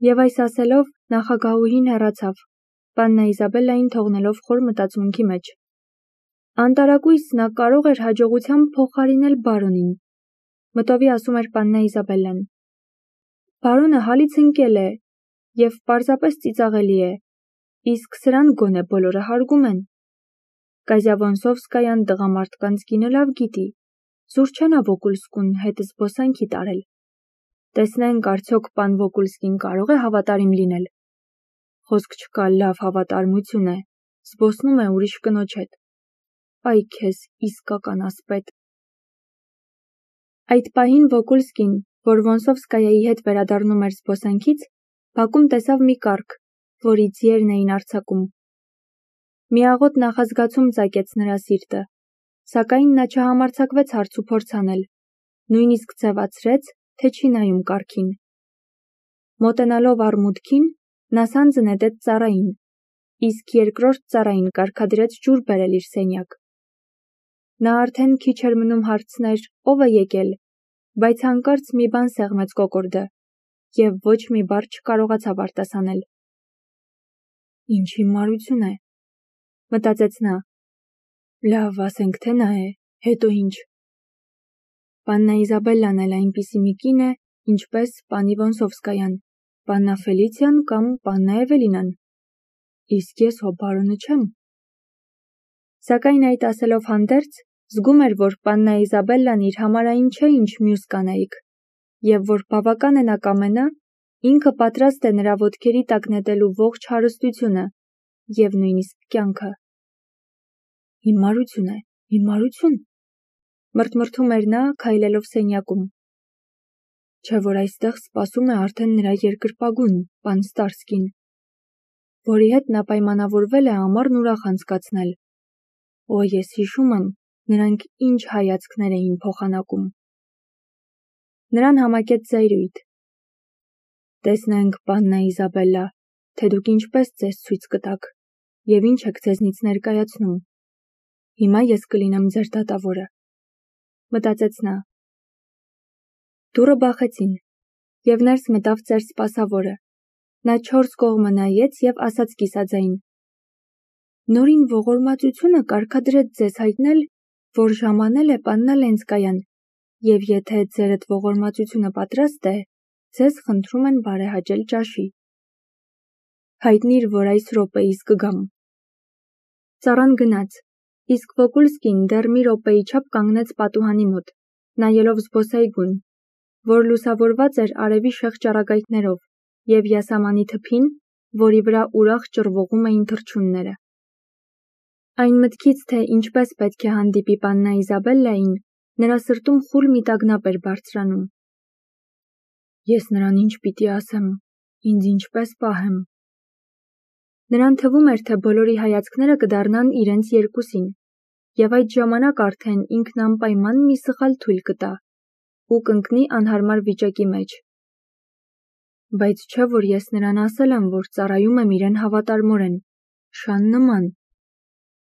Եվ այս ասելով նախագահուհին հեռացավ, պաննա Իզաբելլային թողնելով խոր մտածմունքի մեջ։ Անտարակույս նա կարող էր հաջողությամբ փոխարինել բարոնին, մտովի ասում էր պաննա Իզաբելլան։ Բարոնը հալից ընկել է և պարզապես ծիծաղելի է, իսկ սրան գոնե բոլորը հարգում են։ Կազյա Վոնսովսկայան տղամարդկանց կինը լավ գիտի, զուր չնա Վոկուլսկուն հետ զբոսանքի տարել։ Տեսնենք արդյոք պան Վոկուլսկին կարող է հավատարիմ լինել։ Խոսք չկա, լավ հավատարմություն է, զբոսնում է ուրիշ կնոջ հետ։ Այ քեզ իսկական ասպետ։ Այդ պահին Վոկուլսկին, որ Վոնսովսկայայի հետ վերադառնում էր զբոսանքից, բակում տեսավ մի կառք, որի ձիերն էին արձակում։ Միաղոտ նախազգացում ծակեց նրա սիրտը, սակայն նա չհամարձակվեց հարցուփորձ անել, նույնիսկ ձևացրեց, թե չի նայում կառքին։ Մոտենալով առմուտքին, նա սանձը նետեց ծառային, իսկ երկրորդ ծառային կարգադրեց ջուր բերել իր սենյակ։ Նա արդեն քիչ էր մնում հարցներ ով է եկել, բայց հանկարծ մի բան սեղմեց կոկորդը, և ոչ մի բառ չկարողացավ արտասանել։ Ինչ հիմարություն է, մտածեց նա։ Լավ, ասենք թե նա է, հետո ինչ։ Պաննա Իզաբելլան էլ այնպիսի մի կին է, ինչպես պանի Վոնսովսկայան, պաննա Ֆելիցիան կամ պաննա Էվելինան։ Իսկ ես հո բարոնը չեմ։ Սակայն այդ ասելով հանդերձ, զգում էր, որ պաննա Իզաբելլան իր համար այն չէ, ինչ մյուս կանայք, և որ բավական է նա կամենա, ինքը պատրաստ է նրա ոտքերի տակ նետելու ողջ հարստությունը և նույնիսկ կյանքը։ Հիմարություն է, հիմարություն, մրթմրթում էր նա, քայլելով սենյակում։ Չէ՞ որ այստեղ սպասում է արդեն նրա երկրպագուն, պան Ստարսկին, որի հետ նա պայմանավորվել է ամառն ուրախ անցկացնել։ Օ, ես հիշում եմ, նրանք ինչ հայացքներ էին փոխանակում։ Նրան համակեց զայրույթ։ Տեսնենք, պաննա Իզաբելլա, թե դուք ինչպես ձեզ ցույց կտաք, և ինչ եք ձեզնից ներկայացնում։ Հիմա ես կլինեմ ձեր դատավորը, մտածեց նա։ Դուռը բախեցին, և ներս մտավ ծեր սպասավորը։ Նա 4 կողմը նայեց և ասաց կիսաձայն. Նորին ողորմածությունը կարգադրեց ձեզ հայտնել, որ ժամանել է պաննա Լենսկայան, և եթե ձերդ ողորմածությունը պատրաստ է, ձեզ խնդրում են բարեհաճել ճաշի։ Հայտնիր, որ այս րոպեիս կգամ։ Ծառան գնաց, իսկ Վոկուլսկին դեռ մի րոպեի չափ կանգնեց պատուհանի մոտ, նայելով զբոսայգուն, որ լուսավորված էր արևի շեղ ճառագայթներով, և յասամանի թփին, որի վրա ուրախ ճռվողում էին թռչունները։ Այն մտքից, թե ինչպես պետք է հանդիպի պաննա Իզաբելլային, նրա սրտում խուլ մի տագնապ էր բարձրանում։ Ես նրան ինչ պիտի ասեմ, ինձ ինչպես պահեմ։ Նրան թվում էր, թե բոլորի հայացքները կդառնան իրենց երկուսին, և այդ ժամանակ արդեն ինքն անպայման մի սխալ թույլ կտա ու կընկնի անհարմար վիճակի մեջ։ Բայց չէ՞ որ ես նրան ասել եմ, որ ծառայում եմ իրեն հավատարմորեն, շան նման,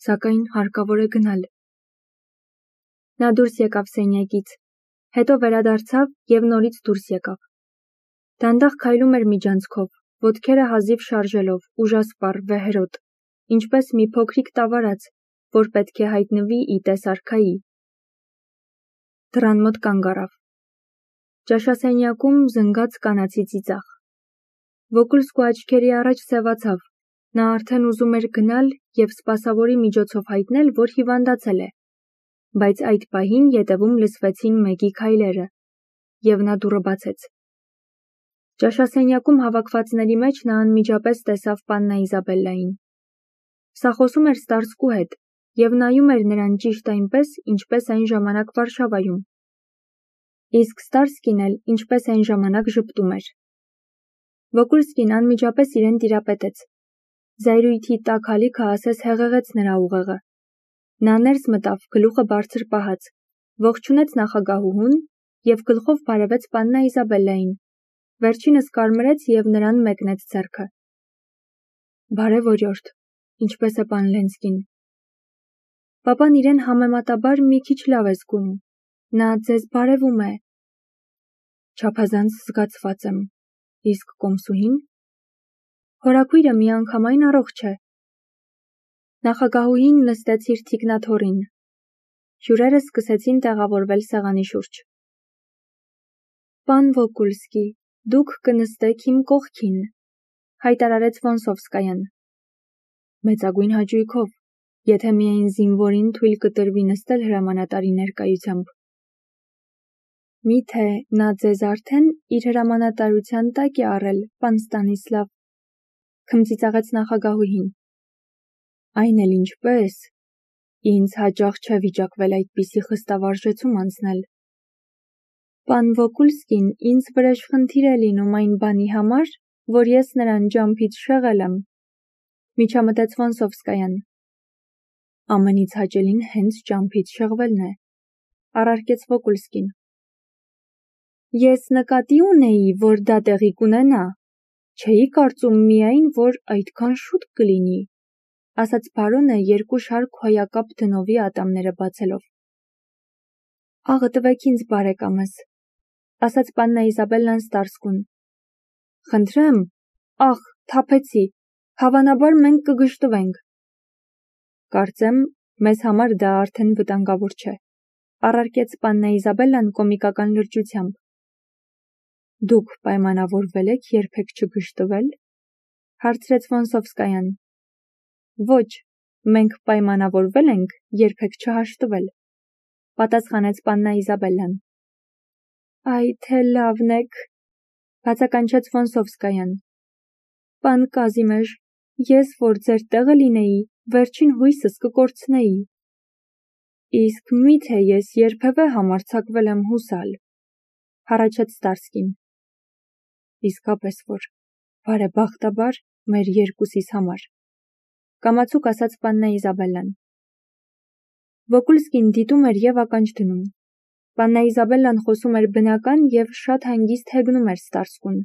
սակայն հարկավոր է գնալ։ Նա դուրս եկավ սենյակից, հետո վերադարձավ և նորից դուրս եկավ։ Դանդաղ քայլում էր միջանցքով, ոտքերը հազիվ շարժելով, ուժասպառ, վեհերոտ, ինչպես մի փոքրիկ տավարած, որ պետք է հայտնվի ի տես արքայի։ Դռան մոտ կանգ առավ։ Ճաշասենյակում զնգաց կանացի ծիծաղ։ Վոկուլսկու աչքերի առաջ սևացավ, նա արդեն ուզում էր գնալ և սպասավորի միջոցով հայտնել, որ հիվանդացել է, բայց այդ պահին ետևում լսվեցին մեկի քայլերը, և նա դուռը բացեց։ Ճաշասենյակում հավաքվածների մեջ նա անմիջապես տեսավ պաննա Իզաբելլային։ Սա խոսում էր Ստարսկու հետ և նայում էր նրան ճիշտ այնպես, ինչպես այն ժամանակ Վարշավայում։ Իսկ Ստարսկին էլ ինչպես այն ժամանակ ժպտում էր։ Վոկուլսկին անմիջապես իրեն տիրապետեց։ Զայրույթի տաք ալիքը ասես հեղեղեց նրա ուղեղը։ Նա ներս մտավ, գլուխը բարձր պահած, ողջունեց նախագահուհուն և գլխով բարևեց պաննա Իզաբելլային, վերջինս կարմրեց և նրան մեկնեց ձեռքը։ Բարև օրիորդ, ինչպես է պան Լենսկին։ Պապան իրեն համեմատաբար մի քիչ լավ է զգում, նա ձեզ բարևում է։ Չափազանց զգացված եմ, Իսկ կոմսուհին? Հորաքույրը միանգամայն առողջ է։ Նախագահուհին նստեց իր թիկնաթոռին։ Հյուրերը սկսեցին տեղավորվել սեղանի շուրջ։ Պան Վոկուլսկի, դուք կնստեք իմ կողքին, հայտարարեց Վոնսովսկայան։ Մեծագույն հաճույքով, եթե միայն զինվորին թույլ կտրվի նստել հրամանատարի ներկայությամբ։ Միթե նա ձեզ արդեն իր հրամանատարության տակ է առել, պան Ստանիսլավ, քմծիծաղեց նախագահուհին։ Այն էլ ինչպես, ինձ հաճախ չէ վիճակվել այդպիսի խստավարժեցում անցնել։ Պան Վոկուլսկին ինձ վրեժխնդիր է լինում այն բանի համար, որ ես նրան ջամփից շեղել եմ, միջամտեց Վոնսովսկայան։ Ամենից հաճելին հենց ջամփից շեղվելն է, առարկեց Վոկուլսկին։ Ես նկատի ունեի, որ դա տեղի կունենա, չէի կարծում միայն, որ այդքան շուտ կլինի, ասաց բարոնը երկու շարք հոյակապ դնովի ատամները բացելով։ Աղը տվեք ինձ, բարեկամս, ասաց պաննա Իզաբելլան Ստարսկուն։ Խնդրեմ, աղ, թափեցի, հավանաբար մենք կգժտվենք։ Կարծեմ, մեզ համար դա արդեն վտանգավոր չէ, առարկեց պաննա Իզաբելլան կոմիկական լրջությամբ։ Դուք պայմանավորվել եք երբեք չգժտվել, հարցրեց Վոնսովսկայան։ Ոչ, մենք պայմանավորվել ենք երբեք չհաշտվել, պատասխանեց պաննա Իզաբելլան։ Այ թե լավն եք, բացականչեց Վոնսովսկայան։ Պան Կազիմեժ, ես որ ձեր տեղը լինեի, վերջին հույսս կկորցնեի։ Իսկ միթե ես երբևէ համարձակվել եմ հուսալ, հառաչեց Ստարսկին։ Իսկապես որ, բարեբախտաբար, մեր երկուսիս համար, կամացուկ ասաց պաննա Իզաբելլան։ Վոկուլսկին դիտում էր և ականջ դնում։ Պաննա Իզաբելլան խոսում էր բնական և շատ հանգիստ հեգնում էր Ստարսկուն,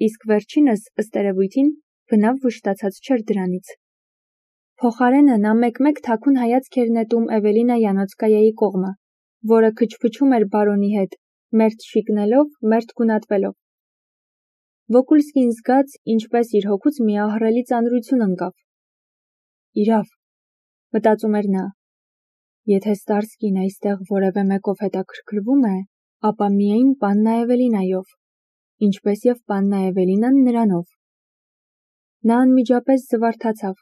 իսկ վերջինս, ըստ երևույթին, բնավ վշտացած չէր դրանից։ Փոխարենը նա մեկ-մեկ թաքուն հայացք էր նետում Էվելինա Յանոցկայայի կողմը, որը քչփչում էր բարոնի հետ, մերթ շիկնելով, մերթ գունատվելով։ Վոկուլսկին զգաց, ինչպես իր հոգուց մի ահռելի ծանրություն ընկավ։ Իրավ, մտածում էր նա, եթե Ստարսկին այստեղ որևէ մեկով հետաքրքրվում է, ապա միայն պաննա Էվելինայով, ինչպես և պաննա Էվելինան նրանով։ Նա անմիջապես զվարթացավ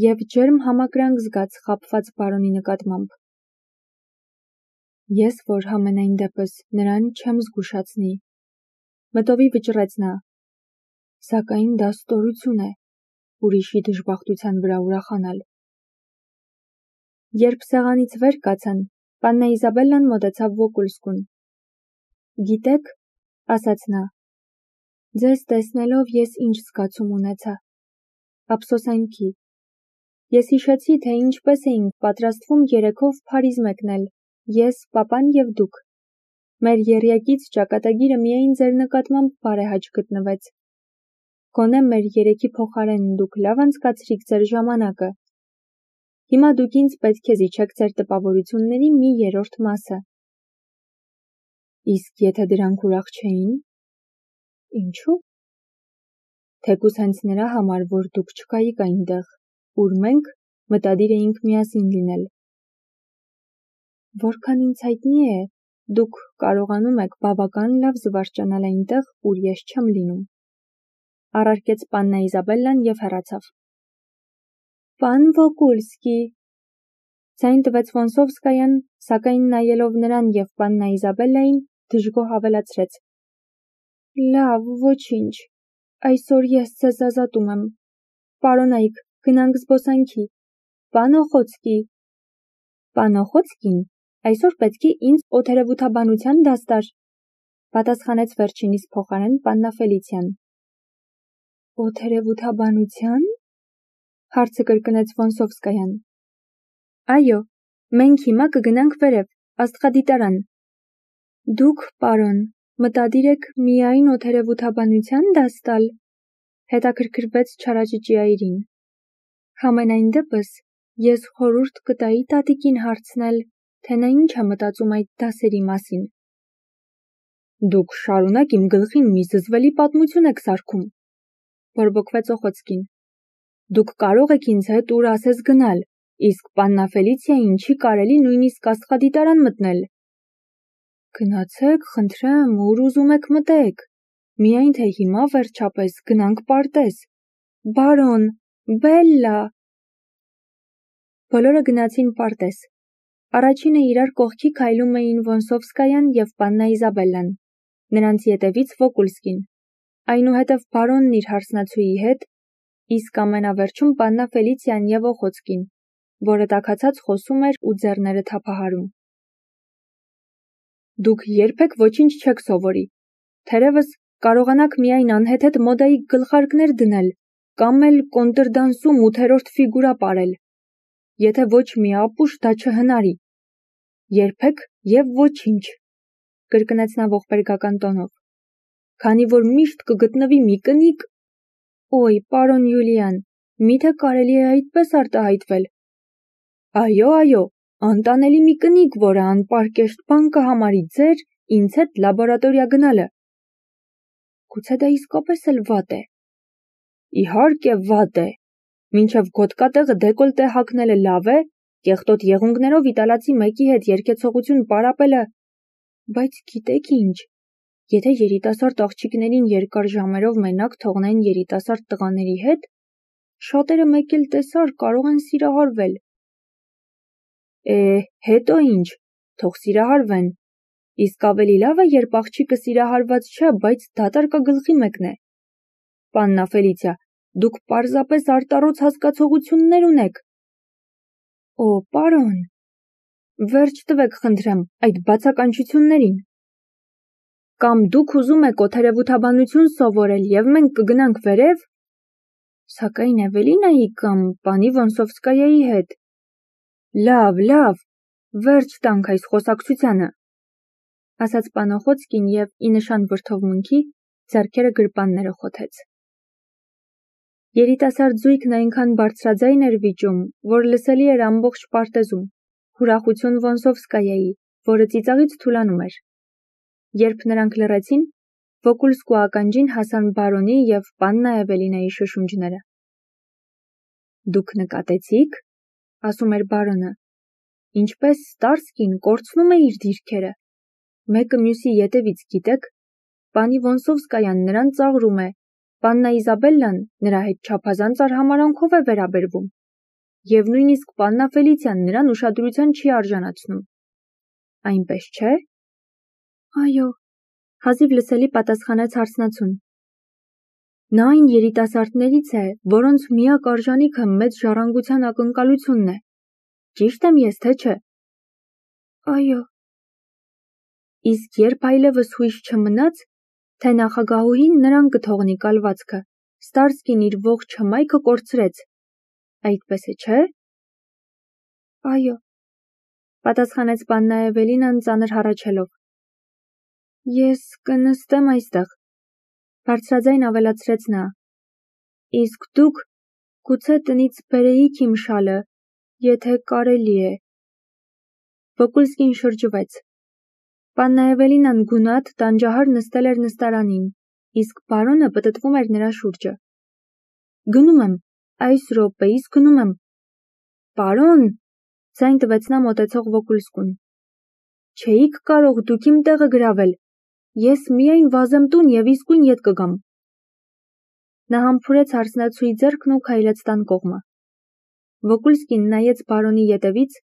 և ջերմ համակրանք զգաց խաբված բարոնի նկատմամբ։ Ես որ համենայն դեպս նրան չեմ զգուշացնի, մտովի վճռեց նա, սակայն դա ստորություն է, ուրիշի դժբախտության վրա ուրախանալ։ Երբ սեղանից վեր կացան, պաննա Իզաբելլան մոտեցավ Վոկուլսկուն։ Գիտեք, ասաց նա, ձեզ տեսնելով ես ինչ զգացում ունեցա։ Ափսոսանքի։ Ես հիշեցի, թե ինչպես էինք պատրաստվում երեքով Փարիզ մեկնել, ես, պապան և դուք։ Մեր եռյակից ճակատագիրը միայն ձեր նկատմամբ բարեհաճ գտնվեց։ Գոնե մեր երեքի փոխարեն դուք լավ անցկացրիք ձեր ժամանակը։ Հիմա դուք ինձ պետք է զիջեք ձեր տպավորությունների մի երրորդ մասը։ Իսկ եթե դրանք ուրախ չէին։ Ինչու՞։ Թեկուզ հենց նրա համար, որ դուք չկայիք այնտեղ, ուր մենք մտադիր էինք միասին լինել։ Որքան ինձ հայտնի է, դուք կարողանում եք բավական լավ զվարճանալ այնտեղ, ուր ես չեմ լինում, առարկեց պաննա Իզաբելլան և հեռացավ։ Պան Վոկուլսկի, ձայն տվեց Վոնսովսկայան, սակայն նայելով նրան և պաննա Իզաբելլային, դժգոհ ավելացրեց. Լավ, ոչինչ, այսօր ես ձեզ ազատում եմ։ Պարոնայք, գնանք զբոսանքի։ Պան Օխոցկի։ Պան Օխոցկին այսօր պետք է ինձ օթերևութաբանության դաս տար, պատասխանեց վերջինիս փոխարեն պաննա Ֆելիցիան։ Օթերևութաբանության։ Հարցը կրկնեց Վոնսովսկայան։ Այո, մենք հիմա կգնանք վերև, աստղադիտարան։ Դուք, պարոն, մտադիր եք միայն օթերևութաբանության դաս տալ, հետաքրքրվեց չարաճճի այրին։ Համենայն դեպս, ես խորհուրդ կտայի տատիկին հարցնել, թե նա ինչ է մտածում այդ դասերի մասին։ Դուք շարունակ իմ գլխին մի զզվելի պատմություն եք սարքում, բորբոքվեց Օխոցկին։ Դուք կարող եք ինձ հետ ուր ասես գնալ, իսկ պաննա Ֆելիցիային չի կարելի նույնիսկ աստղադիտարան մտնել։ Գնացեք, խնդրեմ, ուր ուզում եք մտեք, միայն թե հիմա վերջապես գնանք պարտեզ։ Բարոն, Բելլա։ Բոլորը գնացին պարտեզ։ Առաջինը իրար կողքի քայլում էին Վոնսովսկայան և պաննա Իզաբելլան, նրանց ետևից Վոկուլսկին, այնուհետև բարոնն իր հարսնացուի հետ, իսկ ամենավերջում պաննա Ֆելիցիան և Օխոցկին, որը տաքացած խոսում էր ու ձեռները թափահարում։ Դուք երբեք ոչինչ չեք սովորի, թերևս կարողանաք միայն անհեթեթ մոդայի գլխարկներ դնել կամ էլ կոնտրդանսում 8-րդ ֆիգուրա պարել, եթե ոչ մի ապուշ դա չհնարի։ Երբեք և ոչինչ, կրկնեց նա ողբերգական տոնով, քանի որ միշտ կգտնվի մի կնիկ։ Օй, պարոն Յուլիան, միթե կարելի է այդպես արտահայտվել։ Այո, անտանելի մի կնիկ, որը անպարկեշտ բան կհամարի ձեր ինձ հետ լաբորատորիա գնալը։ Գուցե դա իսկապես էլ վատ է։ Իհարկե վատ է։ Մինչև գոտկատեղը դեկոլտե հագնելը լավ է, կեղտոտ եղունգներով իտալացի մեկի հետ երգեցողություն պարապելը, բայց գիտեք ինչ, եթե երիտասարդ աղջիկներին երկար ժամերով մենակ թողնեն երիտասարդ տղաների հետ, շատերը մեկ էլ տեսար կարող են սիրահարվել։ Հետո ինչ, թող սիրահարվեն, իսկ ավելի լավ է, երբ աղջիկը սիրահարված չէ, բայց դատարկագլխի մեկն է։ Պաննա Ֆելիցիա, դուք պարզապես արտառոց հասկացողություններ ունեք։ Օ, պարոն, վերջ տվեք, խնդրեմ, այդ բացականչություններին։ Կամ դուք ուզում եք օթերևութաբանություն սովորել և մենք կգնանք վերև, սակայն Էվելինայի կամ պանի Վոնսովսկայայի հետ։ Լավ, վերջ տանք այս խոսակցությանը, ասաց պան Օխոցկին և ի նշան վրդովմունքի ձեռքերը գրպանները խոթեց։ Երիտասարդ զույգն այնքան բարձրաձայն էր վիճում, որ լսելի էր ամբողջ պարտեզում, ուրախություն Վոնսովսկայայի, որը ծիծաղից թուլանում էր։ Երբ նրանք լռեցին, Վոկուլսկու ականջին հասան բարոնի և պաննա Էվելինայի շշունջները։ Դուք նկատեցի՞ք, ասում էր բարոնը, ինչպես Ստարսկին կորցնում է իր դիրքերը։ Մեկը մյուսի ետևից գիտեք, պանի Վոնսովսկայան նրան ծաղրում է, պաննա Իզաբելլան նրա հետ չափազանց արհամարհանքով է վերաբերվում, և նույնիսկ պաննա Ֆելիցիան նրան ուշադրության չի արժանացնում։ Այնպես չէ։ Այո, հազիվ լսելի պատասխանեց հարսնացուն։ Նա այն երիտասարդներից է, որոնց միակ արժանիքը մեծ ժառանգության ակնկալությունն է։ Ճիշտ եմ ես, թե չէ։ Այո։ Իսկ երբ այլևս հույս չմնաց, թե նախագահուհին նրան կթողնի կալվածքը, Ստարսկին իր ողջ հմայքը կորցրեց։ Այդպես է, չէ։ Այո, պատասխանեց պաննա Էվելինան ծանր հառաչելով։ Ես կնստեմ այստեղ, բարձրաձայն ավելացրեց նա, իսկ դուք գուցե տնից բերեիք իմ շալը, եթե կարելի է։ Վոկուլսկին շրջվեց։ Պաննա Էվելինան գունատ, տանջահար նստել էր նստարանին, իսկ բարոնը պտտվում էր նրա շուրջը։ Գնում եմ, այս րոպեիս գնում եմ։ Պարոն, ձայն տվեց նա մոտեցող Վոկուլսկուն։ Չէիք կարող դուք իմ տեղը գրավել։ Ես միայն վազեմ տուն և իսկույն ետ կգամ։ Նա համբուրեց հարսնացուի ձեռքն ու քայլեց տան կողմը։ Վոկուլսկին նայեց բարոնի ետևից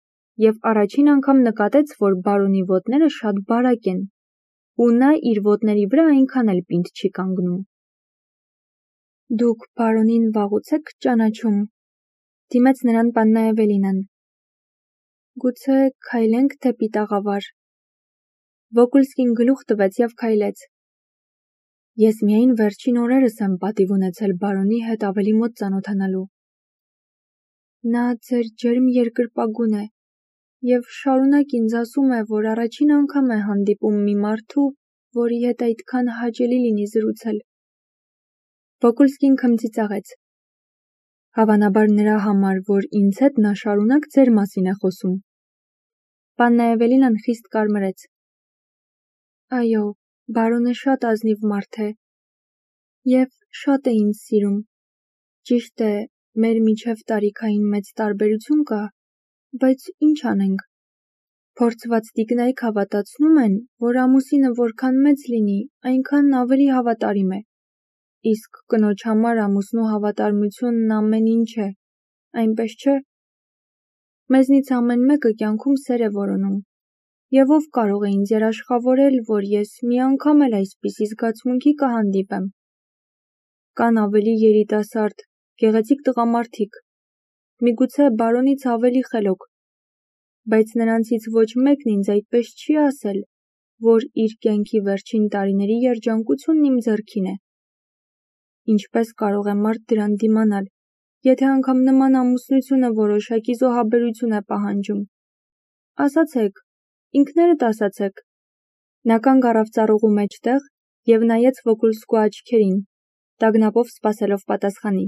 և առաջին անգամ նկատեց, որ բարոնի ոտները շատ բարակ են, ու նա իր ոտների վրա այնքան էլ պինդ չի կանգնում։ Դուք բարոնին վաղուց եք ճանաչում, դիմեց նրան պաննա Էվելինան։ Գուցե քայլենք դեպի տաղավար։ Վոկուլսկին գլուխ տվեց և քայլեց։ Ես միայն վերջին օրերս եմ պատիվ ունեցել բարոնի հետ ավելի մոտ ծանոթանալու։ Նա ձեր ջերմ երկրպագուն է և շարունակ ինձ ասում է, որ առաջին անգամ է հանդիպում մի մարդու, որի հետ այդքան հաճելի լինի զրուցել։ Վոկուլսկին քմծիծաղեց։ Հավանաբար նրա համար, որ ինձ հետ նա շարունակ ձեր մասին է խոսում։ Պաննա Էվելինան խիստ կարմրեց։ Այո, Բարոնը շատ ազնիվ մարդ է և շատ է ինձ սիրում։ Ճիշտ է, մեր միջև տարիքային մեծ տարբերություն կա, բայց ինչ անենք։ Փորձված տիկնայք հավատացնում են, որ ամուսինը որքան մեծ լինի, այնքան ավելի հավատարիմ է։ Իսկ կնոջ համար ամուսնու հավատարմությունն ամեն ինչ է, այնպես չէ։ Մեզնից ամեն մեկը կյանքում սեր է որոնում։ Եվ ով կարող է ինձ երաշխավորել, որ ես մի անգամ էլ այսպիսի զգացմունքի կհանդիպեմ։ Կան ավելի երիտասարդ, գեղեցիկ տղամարդիկ, միգուցե բարոնից ավելի խելոք, բայց նրանցից ոչ մեկն ինձ այդպես չի ասել, որ իր կյանքի վերջին տարիների երջանկությունն իմ ձեռքին է։ Ինչպես կարող է մարդ դրան դիմանալ, եթե անգամ նման ամուսնությունը որոշակի զոհաբերություն է պահանջում։ Ասացեք, ինքներդ ասացեք։ Նա կանգ առավ ծառուղու մեջտեղ և նայեց Վոկուլսկու աչքերին, տագնապով սպասելով պատասխանի։